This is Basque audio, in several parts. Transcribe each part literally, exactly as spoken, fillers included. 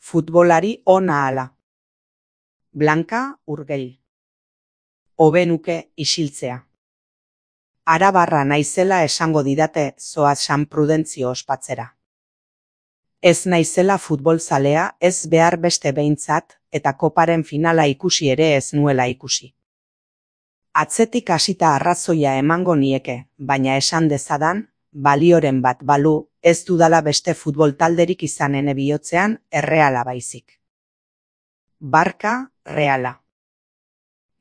Futbolari ona ala. Blanka Urgell. Hobe nuke isiltzea. Arabarra naizela esango didate zoaz San Prudentzio ospatzera. Ez naizela futbolzalea, ez behar beste behintzat, eta koparen finala ikusi ere ez nuela ikusi. Atzetik hasita arrazoia emango nieke, baina esan dezadan, balioren bat balu, ez dudala beste futbol talderik izanen bihotzean Erreala baizik. Barka, Reala.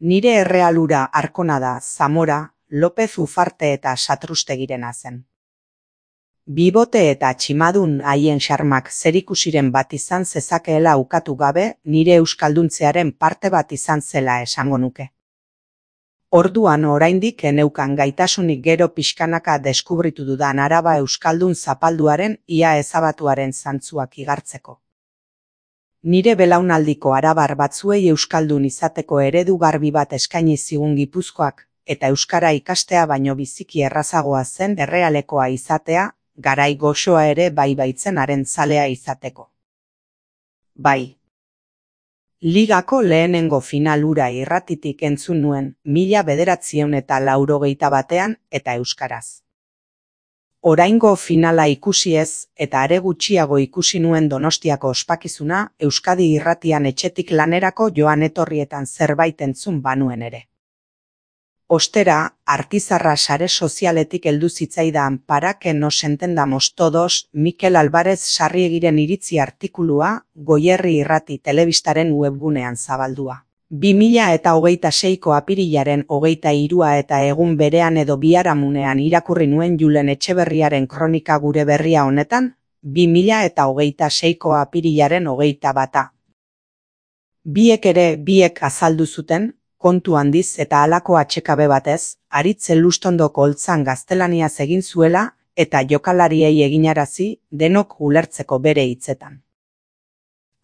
Nire Errealura Arkonada, Zamora, Lopez Ufarte eta Satrustegirena zen. Bibote eta tximadun haien xarmak zerikusiren bat izan zezakeela ukatu gabe, nire euskalduntzearen parte bat izan zela esango nuke. Orduan oraindik eneukan gaitasunik gero pixkanaka deskubritu dudan Araba euskaldun zapalduaren ia ezabatuaren zantzuak igartzeko. Nire belaunaldiko arabar batzuei euskaldun izateko eredu garbi bat eskaini zigun Gipuzkoak, eta euskara ikastea baino biziki errazagoa zen Errealekoa izatea, garai goxoa ere bai baitzen haren zalea izateko. Bai. Ligako lehenengo final hura irratitik entzun nuen, mila bederatziehun eta laurogeita batean eta euskaraz. Oraingo finala ikusi ez, eta are gutxiago ikusi nuen Donostiako ospakizuna, Euskadi irratian etxetik lanerako joan etorrietan zerbait entzun banuen ere. Ostera, Artizarra sare sozialetik heldu zitzaidan para que nos entendamos todos, Mikel Alvarez Sarriegiren iritzi artikulua, Goierri Irrati telebistaren webgunean zabaldua. bi mila eta hogeita seiko apirilaren hogeita hirua eta egun berean edo biharamunean irakurri nuen Julen Etxeberriaren kronika gure berria honetan, bi mila eta hogeita seiko apirilaren hogeita bata. Biek ere biek azaldu zuten, kontu handiz eta halako atxekabe batez, Aritz Elustondoko holtzan gaztelaniaz egin zuela eta jokalariei eginarazi denok ulertzeko bere hitzetan.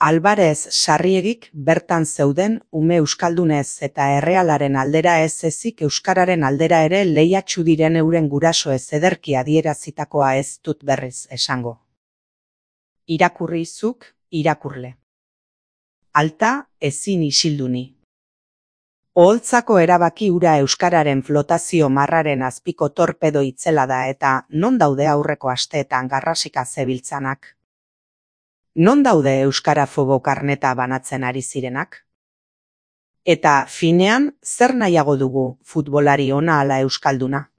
Alvarez Sarriegik bertan zeuden ume euskaldunez eta Errealaren aldera ez ezik euskararen aldera ere lehiatsu diren euren guraso ez ederki adierazitakoa ez dut berriz esango. Irakurri zuk, irakurle. Alta, ezin isilduni. Oholtzako erabaki hura euskararen flotazio marraren azpiko torpedo itzela da eta non daude aurreko asteetan garrasika zebiltzanak? Non daude euskarafobo karneta banatzen ari zirenak? Eta finean, zer nahiago dugu futbolari ona ala euskalduna?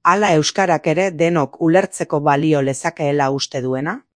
Ala euskarak ere denok ulertzeko balio lezakeela uste duena?